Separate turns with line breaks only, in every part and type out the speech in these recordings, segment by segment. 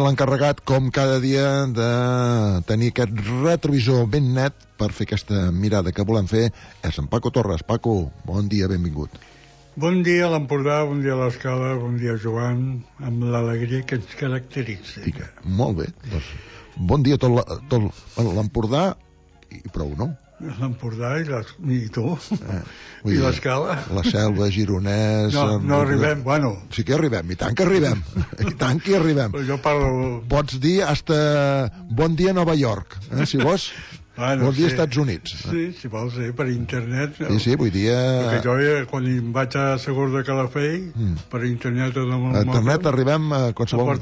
l'encarregat, com cada dia, de tenir aquest retrovisor ben net per fer aquesta mirada que volem fer és en Paco Torres. Paco, bon dia, benvingut.
Bon dia a l'Empordà, bon dia a l'Escala, bon dia Joan, amb l'alegria que ens caracteritza.
Molt bé, doncs bon dia a tot l'Empordà i prou, no?
L'Empordà i tu, i l'Escala.
La Selva, Gironès...
No arribem, bueno...
Sí que arribem, i tant que arribem, i tant que arribem.
Però jo parlo...
Pots dir hasta bon dia Nova York, si vols. Bon dia Estats Units.
Sí, si vols, per internet.
Sí, vull dir...
Perquè jo, quan em vaig a Segur de Calafell, per internet...
A internet arribem a qualsevol...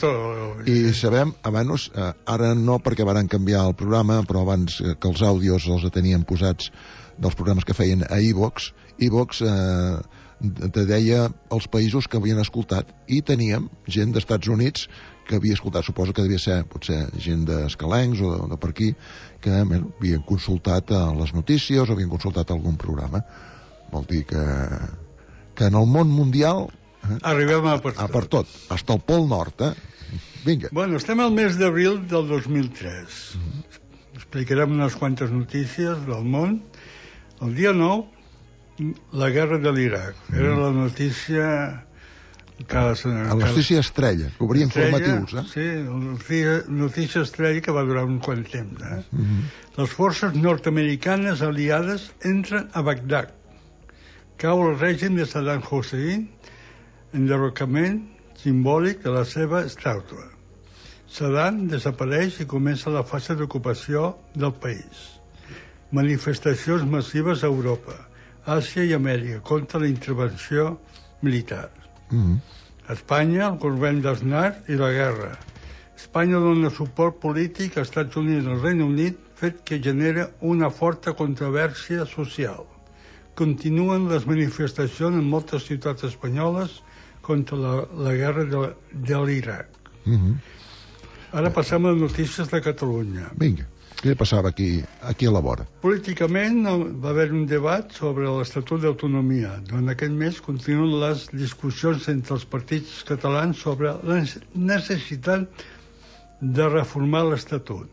I sabem, abans, ara no perquè van canviar el programa, però abans que els àudios els tenien posats dels programes que feien a iVox, iVox te deia els països que havien escoltat, i teníem gent d'Estats Units que havia escoltat, suposo que devia ser potser gent d'escalencs o de per aquí, que havien consultat les notícies o havien consultat algun programa. Vol dir que en el món mundial
arribem a per
tot, fins al Pol Nord, Vinga.
Bueno, estem al mes d'abril del 2003. Explicarem unes quantes notícies del món. El dia 9, la guerra de l'Iraq. Era la notícia...
La notícia estrella, que obria informatius,
Sí, la notícia estrella que va durar un quant temps, Les forces nord-americanes aliades entren a Bagdad. Cau el règim de Saddam Hussein, enderrocament simbòlic de la seva estàtua. Saddam desapareix i comença la fase d'ocupació del país. Manifestacions massives a Europa, Àsia i Amèrica contra la intervenció militar. Espanya, el govern d'Aznar i la guerra. Espanya dona suport polític als Estats Units i al Regne Unit, fet que genera una forta controvèrsia social. Continuen les manifestacions en moltes ciutats espanyoles contra la guerra de l'Iraq. Ara passem a les notícies de Catalunya.
Vinga, què passava aquí a la vora?
Políticament va haver un debat sobre l'Estatut d'Autonomia. Durant aquest mes continuen les discussions entre els partits catalans sobre la necessitat de reformar l'Estatut.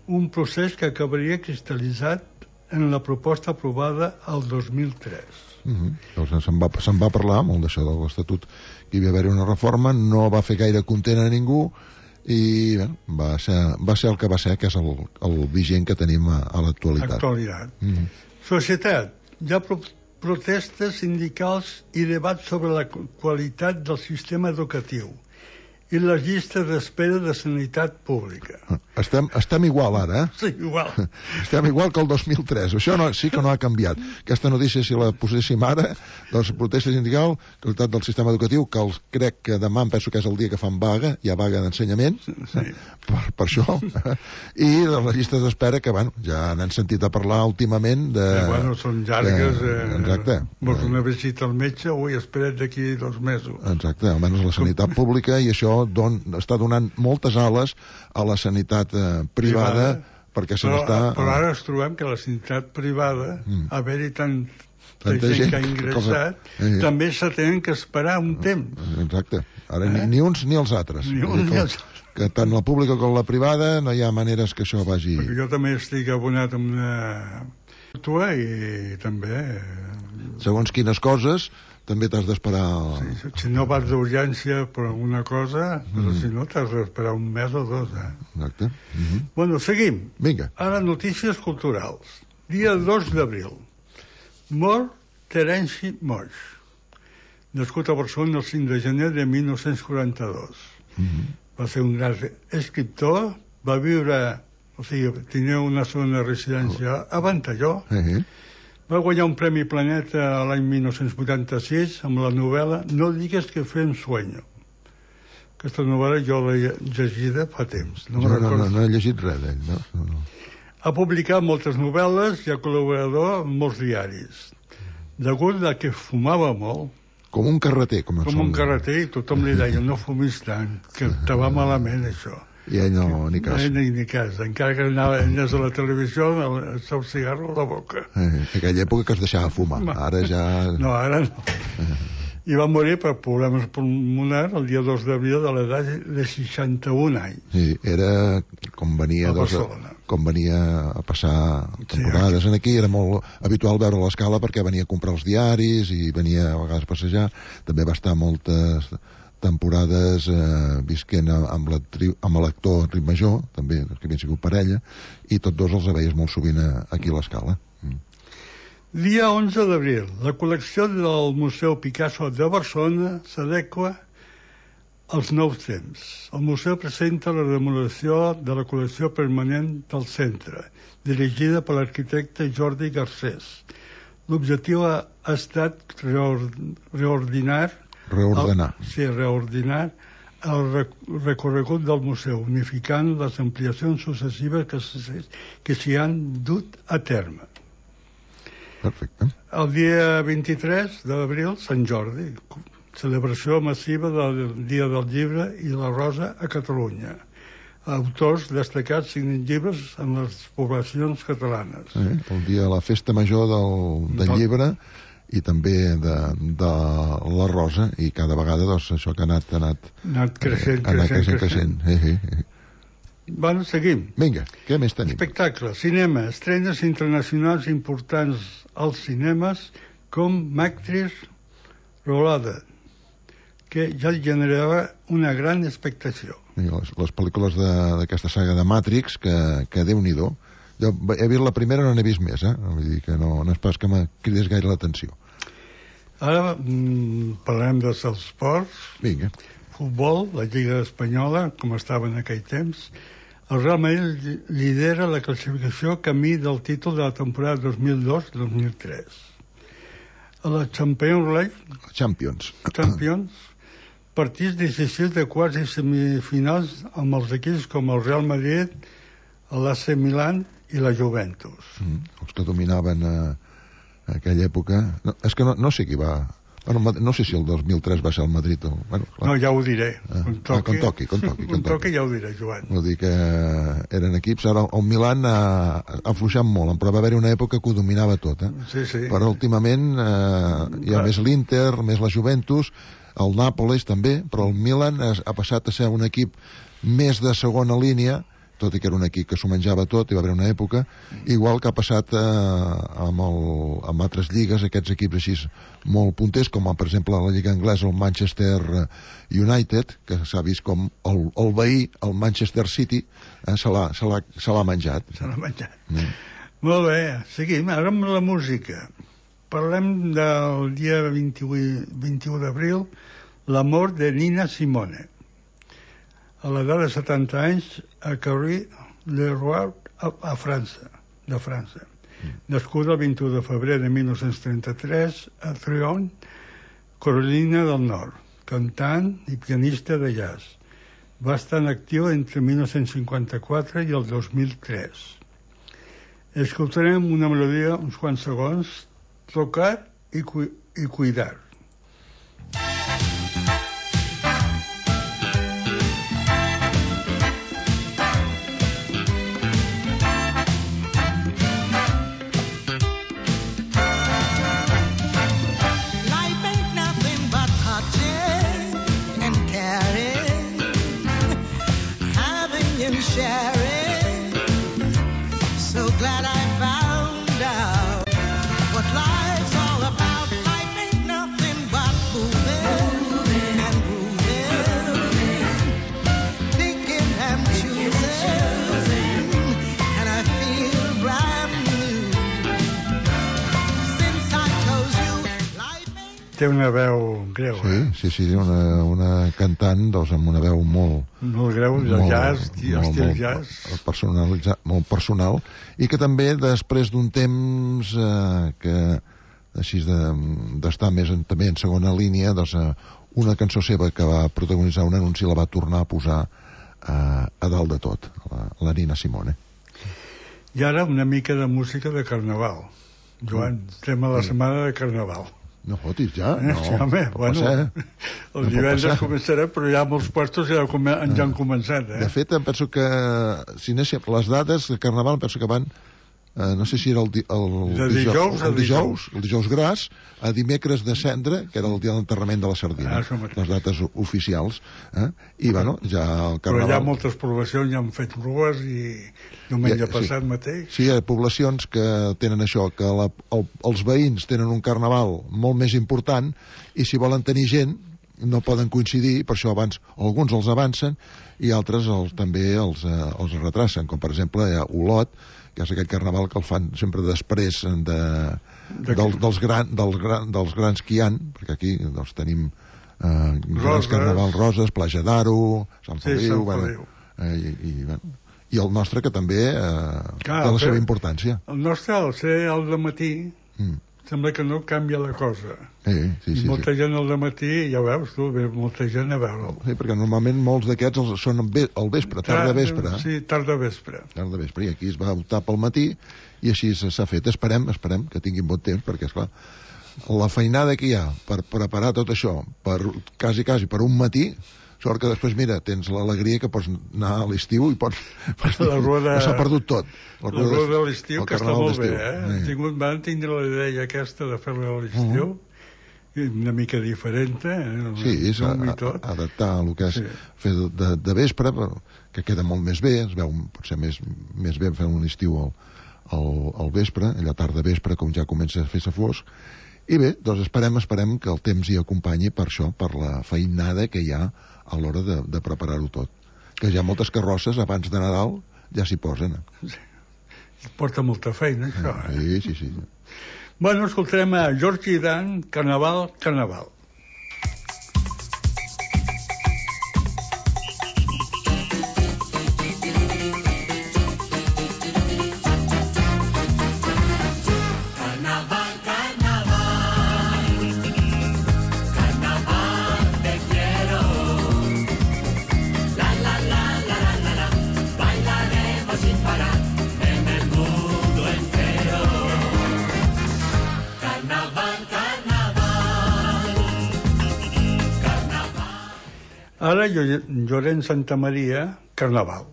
Un procés que acabaria cristal·litzat en la proposta aprovada el 2003.
Se'n va parlar molt d'això de l'Estatut, que hi va haver una reforma, no va fer gaire content a ningú i va ser el que va ser, que és el vigent que tenim a l'actualitat.
Societat. Hi ha protestes sindicals i debats sobre la qualitat del sistema educatiu i les llistes d'espera de sanitat pública.
Estem igual ara,
Sí, igual.
Estem igual que el 2003. Això sí que no ha canviat. Aquesta notícia, si la poséssim ara, doncs protesta sindical, qualitat del sistema educatiu, que crec que demà em penso que és el dia que fan vaga, hi ha vaga d'ensenyament, per això, i de les llistes d'espera que, ja n'han sentit a parlar últimament de...
Són llargues.
Exacte.
Vols una visita al metge? Ui, espera't d'aquí 2 mesos.
Exacte, almenys la sanitat pública, i això està donant moltes ales a la sanitat privada, perquè se n'està...
Però ara ens trobem que la sanitat privada, haver-hi tanta gent que ha ingressat, també se tenen que esperar un temps.
Exacte. Ara ni uns ni els altres. Que tant la pública com la privada no hi ha maneres que això vagi...
Perquè jo també estic abonat amb una mútua i també...
Segons quines coses també t'has d'esperar...
Si no vas d'urgència per alguna cosa, però si no t'has d'esperar un mes o 2.
Exacte.
Bueno, seguim.
Vinga.
Ara notícies culturals. Dia 2 d'abril. Mor Terenci Moix. Nascut a Barcelona el 5 de gener de 1942. Va ser un gran escriptor, va viure... O sigui, tenia una zona de residència a Ventalló. Va guanyar un Premi Planeta l'any 1986 amb la novel·la No digues que fem sueño. Aquesta novel·la jo l'he llegida fa temps.
No he llegit res d'ell, no?
Ha publicat moltes novel·les i ha col·laborador en molts diaris. Degut a que fumava molt...
Com un carreter. Com
un carreter, i tothom li deia no fumis tant, que te va malament això.
I ell no, ni cas.
Ni cas. Encara que anés a la televisió, el seu cigarro a la boca.
En aquella època que es deixava fumar. Ara ja...
No, ara no. I va morir per problemes pulmonars el dia 2 d'abril de l'edat de 61 anys.
Sí, era com venia a passar temporades aquí, era molt habitual veure l'Escala perquè venia a comprar els diaris i venia a vegades a passejar. També va estar moltes temporades visquent amb l'actor Enric Major, també, que havien sigut parella, i tots dos els veies molt sovint aquí a l'Escala.
Dia 11 d'abril, la col·lecció del Museu Picasso de Barcelona s'adequa als nous temps. El museu presenta la remodelació de la col·lecció permanent del centre, dirigida per l'arquitecte Jordi Garcés. L'objectiu ha estat reordinar el recorregut del museu, unificant les ampliacions successives que s'hi han dut a terme.
Perfecte.
El dia 23 d'abril, Sant Jordi, celebració massiva del Dia del Llibre i la Rosa a Catalunya. Autors destacats signen llibres en les poblacions catalanes.
El dia de la festa major del llibre i també de la Rosa, i cada vegada doncs, això que ha anat creixent.
Bueno, seguim.
Vinga, què més tenim?
Espectacle, cinema, estrenes internacionals importants als cinemes com Matrix Reloaded, que ja generava una gran expectació.
Les pel·lícules d'aquesta saga de Matrix, que Déu-n'hi-do. Jo he vist la primera, no n'he vist més, vull dir que no és pas que me cridés gaire l'atenció.
Ara parlem dels esports.
Vinga.
Futbol, la Lliga Espanyola, com estava en aquell temps. El Real Madrid lidera la classificació camí del títol de la temporada 2002-2003. A la Champions, partits decisius de quarts i semifinals amb els equips com el Real Madrid, l'AC Milan i la Juventus.
Els que dominaven aquella època. No, és que no sé qui va... Bueno, no sé si el 2003 va ser el Madrid o... Bueno,
no, ja ho diré.
Quan toqui,
ja ho diré, Joan.
Vull dir que eren equips... Ara el Milan ha afluixat molt, però va haver-hi una època que ho dominava tot,
Sí.
Però últimament hi ha més l'Inter, més la Juventus, el Nàpolis també, però el Milan ha passat a ser un equip més de segona línia, tot i que era un equip que s'ho menjava tot, hi va haver una època, igual que ha passat amb altres lligues, aquests equips així molt punters, com per exemple la lliga anglesa, el Manchester United, que s'ha vist com el veí, el Manchester City, se l'ha menjat.
Molt bé, seguim, ara amb la música. Parlem del dia 21 d'abril, la mort de Nina Simone. A l'edat de 70 anys, a Carry-le-Roi, de França. Nascuda el 21 de febrer de 1933 a Trion, Carolina del Nord, cantant i pianista de jazz. Va estar en actiu entre 1954 i el 2003. Escoltarem una melodia, uns quants segons, Tocar i Cuidar. Té una veu greu,
Sí, una cantant amb una veu molt
greu, del jazz, estil jazz.
Molt personal, i que també després d'un temps que així d'estar més també en segona línia, doncs una cançó seva que va protagonitzar un anunci la va tornar a posar a dalt de tot, la Nina Simone.
I ara una mica de música de carnaval. Joan, estem a la setmana de carnaval.
No fotis, ja? No,
home, bueno, el divendres començarà, però ja molts puestos ja han començat.
De fet, em penso que si anéssim les dades de carnaval, em penso que van no sé si era el dijous gras, a dimecres de cendre, que era el dia d'enterrament de la sardina, les dates oficials, i bueno, ja el carnaval...
Però hi ha moltes poblacions, ja han fet rues i diumenge passat mateix.
Sí, hi ha poblacions que tenen això, que els veïns tenen un carnaval molt més important i si volen tenir gent no poden coincidir, per això abans alguns els avancen i altres també els retracen, com per exemple Olot, que és aquell carnaval que el fan sempre després dels grans que hi ha, perquè aquí doncs, tenim grans carnavals, Roses, Platja d'Aro, Sant Feliu, i el nostre que també té la seva importància.
El nostre, al ser al dematí, sembla que no canvia la cosa. I molta gent al dematí, ja veus tu, ve molta gent a veure'l.
Sí, perquè normalment molts d'aquests són al vespre, tarda vespre.
Sí, tarda vespre.
Tarda vespre, i aquí es va optar pel matí i així s'ha fet. Esperem que tinguin bon temps, perquè, esclar, la feinada que hi ha per preparar tot això, quasi per un matí, sort que després, mira, tens l'alegria que pots anar a l'estiu i pots... S'ha perdut tot.
La rueda de l'estiu, que està molt bé, Van tindre la idea aquesta de fer-la a l'estiu, una mica diferent,
Sí, és adaptar el que és fer de vespre, que queda molt més bé, es veu potser més bé fer un estiu al vespre, a la tarda vespre, com ja comença a fer-se fosc, i bé, doncs esperem que el temps hi acompanyi per això, per la feinada que hi ha a l'hora de preparar-ho tot. Que ja moltes carrosses abans de Nadal ja s'hi posen.
Porta molta feina, això.
Sí.
Bueno, escoltarem a George Dan, Carnaval. Ara, Llorenç Santamaria, Carnaval.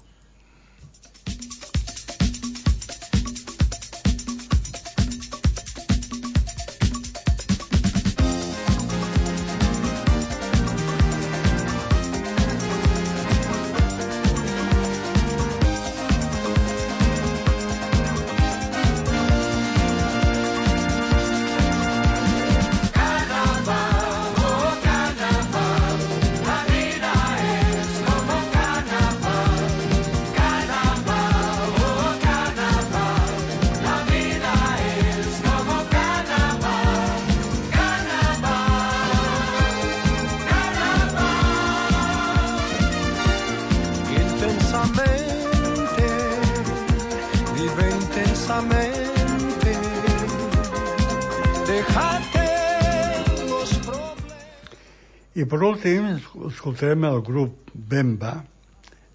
I per últim, escoltarem el grup Bemba,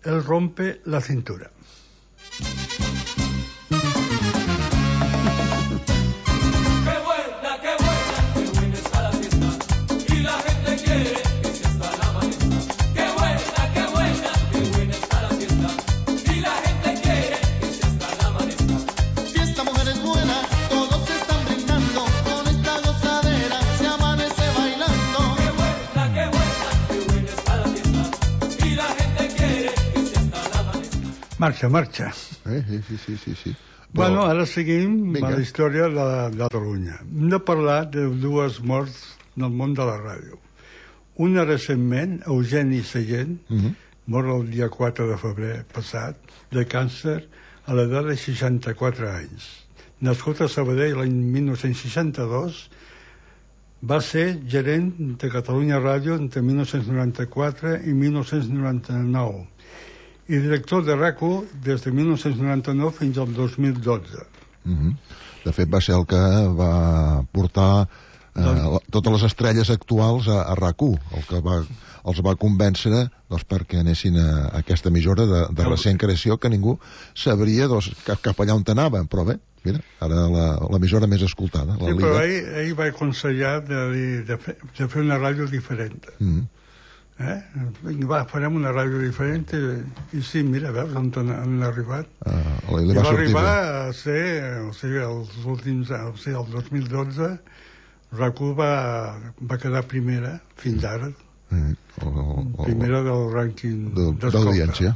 El rompe la cintura. Marxa.
Sí.
Bueno, ara seguim a la història de Catalunya. Hem de parlar de dues morts del món de la ràdio. Una recentment, Eugeni Sallent, mort el dia 4 de febrer passat, de càncer a l'edat de 64 anys. Nascut a Sabadell l'any 1962, va ser gerent de Catalunya Ràdio entre 1994 i 1999 i director de RAC1 des de 1999 fins al 2012.
De fet, va ser el que va portar totes les estrelles actuals a RAC1, el que els va convèncer perquè anessin a aquesta emissora de recent creació, que ningú sabria cap allà on anava, però bé, mira, ara l'emissora més escoltada.
Sí, però ell va aconsellar de fer una ràdio diferent. Va, farem una ràdio diferent i sí, mira, veus on han arribat.
I
va arribar a ser, o sigui, els últims, o sigui, el 2012 RAC1 va quedar primera fins ara, primera del rànquing
d'audiència.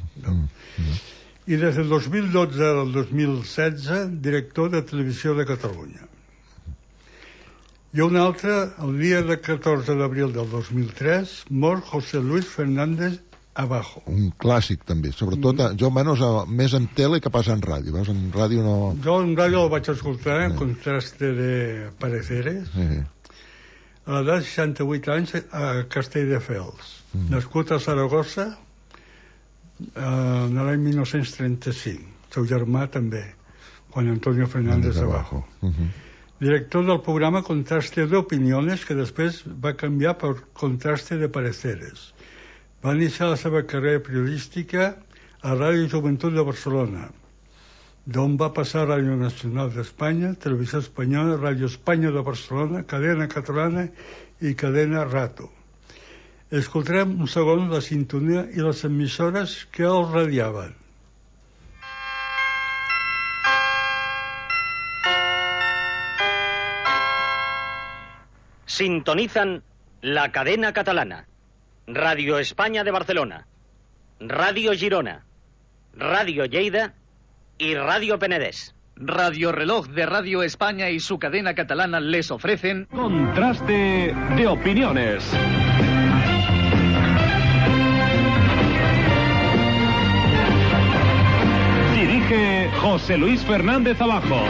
I des del 2012 al 2016 director de Televisió de Catalunya. I un altre, el dia de 14 d'abril del 2003, mor José Luis Fernández Abajo.
Un clàssic, també. Sobretot, jo menys més en tele que pas en ràdio. Veus, en ràdio no...
Jo en ràdio el vaig escoltar, en Contraste de Pareceres, a l'edat de 68 anys, a Castelldefels. Nascut a Saragossa, en l'any 1935. Seu germà també, Juan Antonio Fernández Abajo. Director del programa Contraste de Opiniones, que després va canviar per Contraste de Pareceres. Va iniciar la seva carrera periodística a Ràdio Joventut de Barcelona, d'on va passar a Ràdio Nacional d'Espanya, Televisió Espanyola, Ràdio Espanya de Barcelona, Cadena Catalana i Cadena Rato. Escoltarem un segon la sintonia i les emissores que el radiaven.
Sintonizan la Cadena Catalana, Radio España de Barcelona, Radio Girona, Radio Lleida y Radio Penedés.
Radio Reloj de Radio España y su cadena catalana les ofrecen Contraste de Opiniones. Dirige José Luis Fernández Abajo.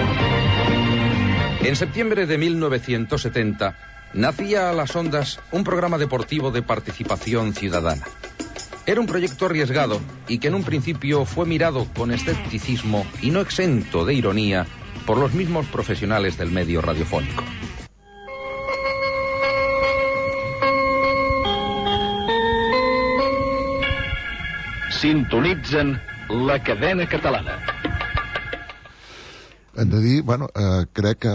En septiembre de 1970 nacía a las ondas un programa deportivo de participación ciudadana. Era un proyecto arriesgado y que en un principio fue mirado con escepticismo y no exento de ironía por los mismos profesionales del medio radiofónico.
Sintonitzen la cadena catalana.
Hem de dir, bueno, crec que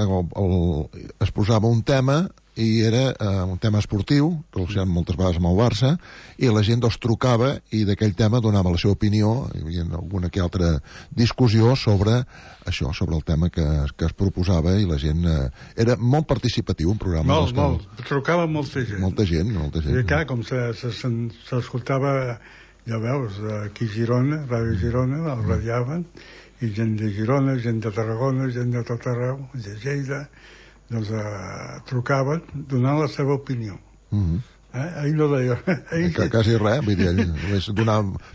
es posava un tema i era un tema esportiu, relacionat moltes vegades amb el Barça, i la gent trucava i d'aquell tema donava la seva opinió, hi havia alguna que altra discussió sobre això, sobre el tema que es proposava, i la gent... Era molt participatiu, un programa.
Molt. Trucava molta gent.
Molta gent.
I clar, com s'escoltava, ja veus, aquí a Girona, Ràdio Girona, el radiaven, i gent de Girona, gent de Tarragona, gent de tot arreu, de Lleida, doncs trucaven donant la seva opinió. Ell no deia...
Quasi res, vull dir, ell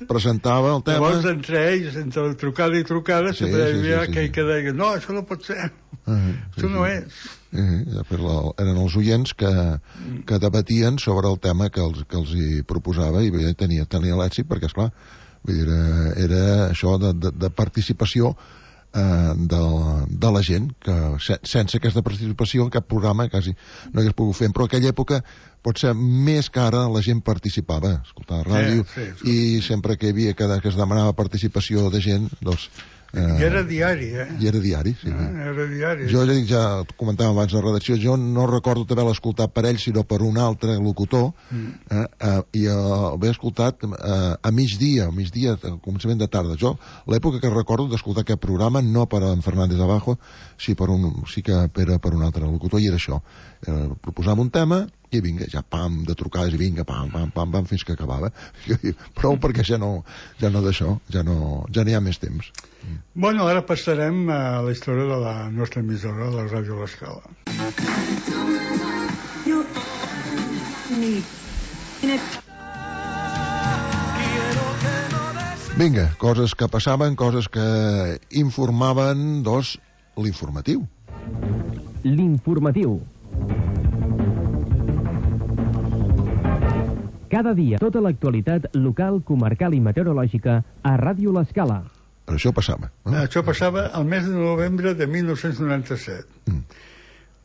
presentava el tema...
Llavors, entre ells, entre trucada i trucada, sempre hi havia aquell que deia no, això no pot ser, això no és.
Eren els oients que debatien sobre el tema que els hi proposava i tenia l'èxit, perquè, esclar, vull dir, era això de participació de la gent, que sense aquesta participació cap programa quasi no hagués pogut fer, però en aquella època potser més que ara la gent participava, escoltava ràdio, i sempre que hi havia que es demanava participació de gent, doncs...
I era diari,
I era diari, sí.
Era diari.
Jo ja comentava abans de la redacció, jo no recordo haver-la escoltat per ell, sinó per un altre locutor, i l'he escoltat a migdia, al començament de tarda. Jo, l'època que recordo d'escoltar aquest programa, no per en Fernández Abajo, sí que era per un altre locutor, i era això. Proposava un tema, i vinga, ja pam, de trucades, i vinga, pam, fins que acabava. Prou, perquè ja no d'això, ja no hi ha més temps.
Bueno, ara passarem a la història de la nostra emissora, la Ràdio L'Escala.
Vinga, coses que passaven, coses que informaven, l'informatiu.
L'informatiu. Cada dia, tota l'actualitat local, comarcal i meteorològica a Ràdio L'Escala.
Però això passava.
Això passava al mes de novembre de 1997.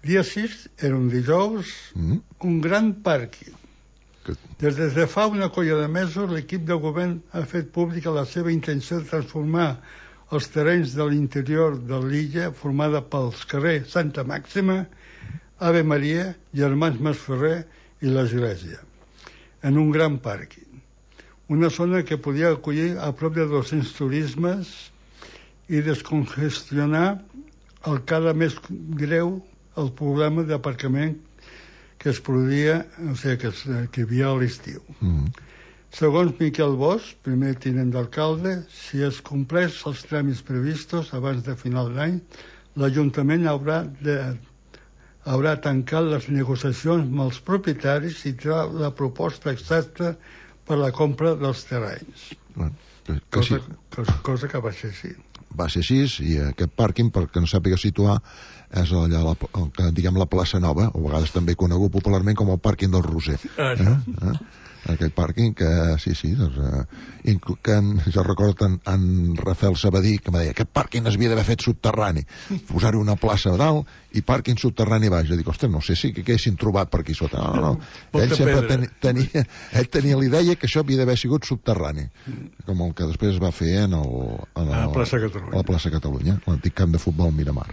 Dia 6, era un dijous, un gran pàrquing. Des de fa una colla de mesos, l'equip de govern ha fet pública la seva intenció de transformar els terrenys de l'interior de l'illa, formada pels carrers Santa Màxima, Ave Maria, Germans Masferrer i l'Església. en un gran pàrquing. Una zona que podia acollir a prop de 200 turismes i descongestionar el cada més greu el problema d'aparcament que es produïa, o sigui, que hi havia a l'estiu. Segons Miquel Bosch, primer tinent d'alcalde, si es compleix els tràmits previstos abans de final d'any, l'Ajuntament haurà tancat les negociacions amb els propietaris i trà la proposta exacta per la compra dels terrenys. Cosa que va ser així.
Va ser així, i aquest pàrquing, perquè no sàpiga situar, és allà, diguem, la plaça Nova, o a vegades també conegut popularment com el pàrquing del Roser. Aquell pàrquing que, sí, doncs, que jo recordo en Rafael Sabadí, que me deia, aquest pàrquing es havia d'haver fet subterrani, posar-hi una plaça a dalt i pàrquing subterrani baix. Jo dic, ostres, no sé si que haguessin trobat per aquí sota. No. Ell sempre tenia la idea que això havia d'haver sigut subterrani, com el que després es va fer a la plaça Catalunya, l'antic camp de futbol Miramar.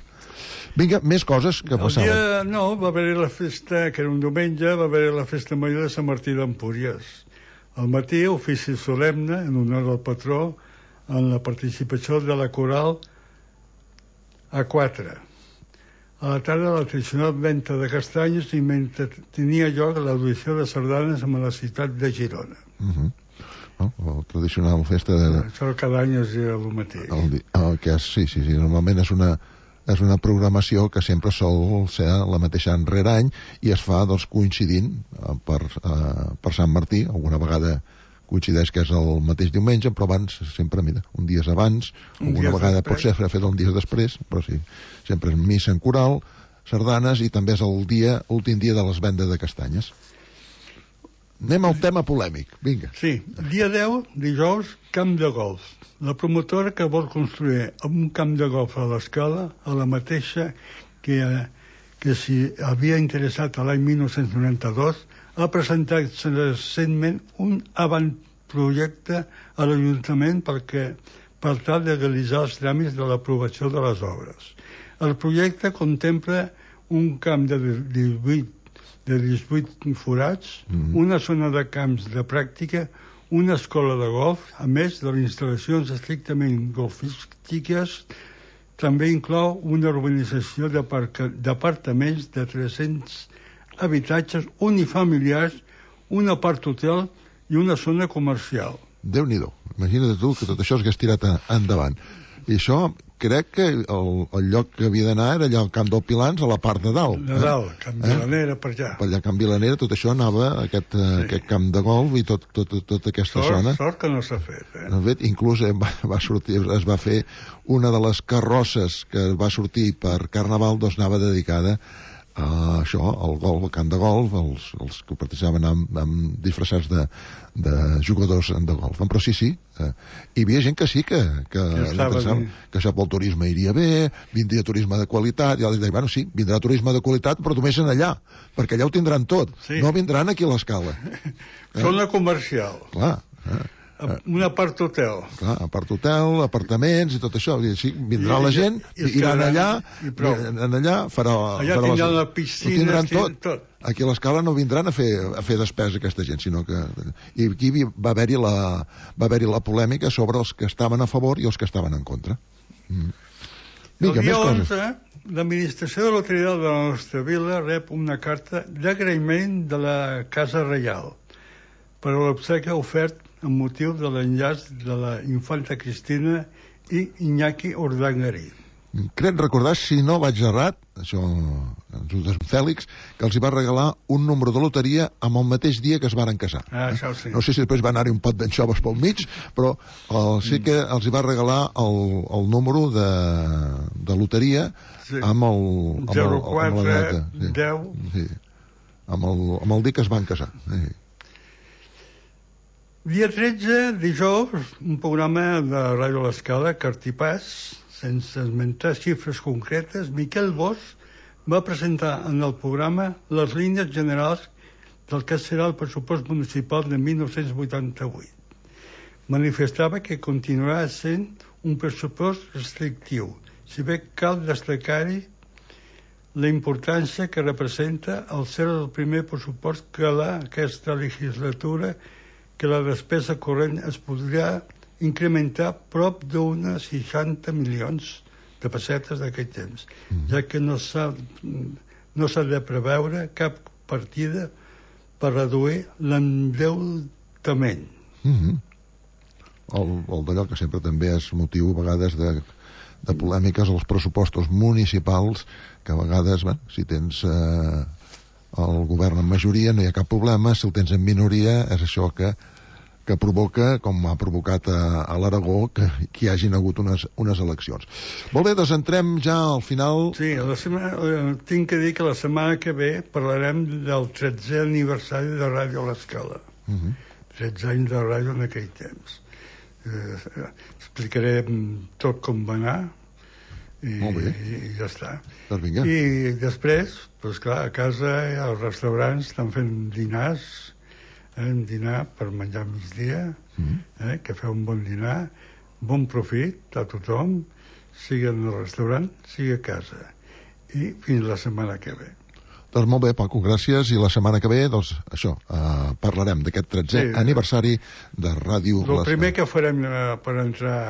Vinga, més coses que passaven.
Va haver-hi la festa, que era un diumenge, va haver-hi la festa major de Sant Martí d'Empúries. Al matí, ofici solemne, en honor al patró, en la participació de la coral A4. A la tarda, la tradicional venta de castanyes i mentre tenia lloc l'audició de sardanes a la ciutat de Girona.
La tradicional festa de...
Això cada any és el mateix.
Sí, normalment és una programació que sempre sol ser la mateixa any rere any i es fa, doncs, coincidint per Sant Martí. Alguna vegada coincideix que és el mateix diumenge, però abans, sempre, mira, un dies abans, alguna vegada pot ser fet un dia després, però sí, sempre és missa en coral, sardanes, i també és l'últim dia de les vendes de castanyes. Anem al tema polèmic, vinga.
Sí, dia 10, dijous, camp de golf. La promotora que vol construir un camp de golf a l'Escala, a la mateixa que s'hi havia interessat l'any 1992, ha presentat recentment un avantprojecte a l'Ajuntament per tal de realitzar els tràmits de l'aprovació de les obres. El projecte contempla un camp de 18 forats, una zona de camps de pràctica, una escola de golf, a més de les instal·lacions estrictament golfístiques. També inclou una urbanització d'apartaments de 300 habitatges unifamiliars, un apart-hotel i una zona comercial.
Déu-n'hi-do, imagina't tu que tot això s'hagués tirat endavant. I això, crec que el lloc que havia d'anar era allà al Camp del Pilans, a la part de dalt.
De dalt, Camp Vilanera, per allà.
Per allà, Camp Vilanera, tot això anava a aquest camp de golf i tota aquesta zona.
Sort que no s'ha fet,
No, inclús va sortir, es va fer una de les carrosses que va sortir per Carnaval, doncs anava dedicada a això, al golf, al camp de golf, els que participaven amb disfressats de jugadors de golf. Però sí, hi havia gent que sí, que pensava que això pel turisme iria bé, vindria turisme de qualitat, i altres deien, bueno, sí, vindrà turisme de qualitat, però només en allà, perquè allà ho tindran tot, no vindran aquí a l'Escala.
Zona comercial.
Clar,
un apart-hotel.
Clar, apart-hotel, apartaments i tot això. Sí, vindrà la gent, iran allà, farà
allà tindran la piscina,
tot. Aquí a l'Escala no vindran a fer despesa aquesta gent, sinó que... I aquí va haver-hi la polèmica sobre els que estaven a favor i els que estaven en contra.
Vinga, el dia 11, l'administració de loteria de la nostra vila rep una carta d'agraïment de la Casa Reial per a l'obsequi ofert amb motiu de l'enllaç de la infanta Cristina i Iñaki Urdangarí.
Crec recordar, si no vaig errat, això, Fèlix, que els hi va regalar un número de loteria amb el mateix dia que es varen casar.
Això sí.
No sé si després va anar-hi un pot d'anxoves pel mig, però sí que els hi va regalar el número de loteria amb el
04 10
amb el dia que es van casar.
Dia 13, dijous, un programa de Ràdio l'Escala, Cartipàs, sense esmentar xifres concretes. Miquel Bosch va presentar en el programa les línies generals del que serà el pressupost municipal de 1988. Manifestava que continuarà sent un pressupost restrictiu, si bé cal destacar-hi la importància que representa el ser el primer pressupost que aquesta legislatura que la despesa corrent es podrà incrementar prop d'unes 60 milions de pessetes d'aquell temps, ja que no s'ha de preveure cap partida per reduir l'endeutament.
El d'allò que sempre també és motiu a vegades de polèmiques als pressupostos municipals, que a vegades, si tens el govern en majoria no hi ha cap problema, si el tens en minoria és això que provoca, com ha provocat a l'Aragó, que hi hagin hagut unes eleccions. Molt bé, doncs entrem ja al final.
Sí, tinc que dir que la setmana que ve parlarem del 13è aniversari de Ràdio a l'Escala. 13 anys de ràdio en aquell temps. Explicaré tot com va anar i ja està.
Doncs vinga.
I després, doncs clar, a casa els restaurants estan fent dinars, un dinar per menjar al migdia, que feu un bon dinar, bon profit a tothom, sigui en el restaurant, sigui a casa. I fins la setmana que ve.
Doncs molt bé, Paco, gràcies. I la setmana que ve, doncs, això, parlarem d'aquest 13è aniversari de Ràdio
l'Escala. El primer que farem per entrar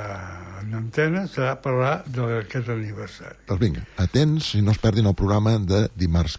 en antena serà parlar d'aquest aniversari.
Doncs vinga, atents i no es perdin el programa de dimarts que ve.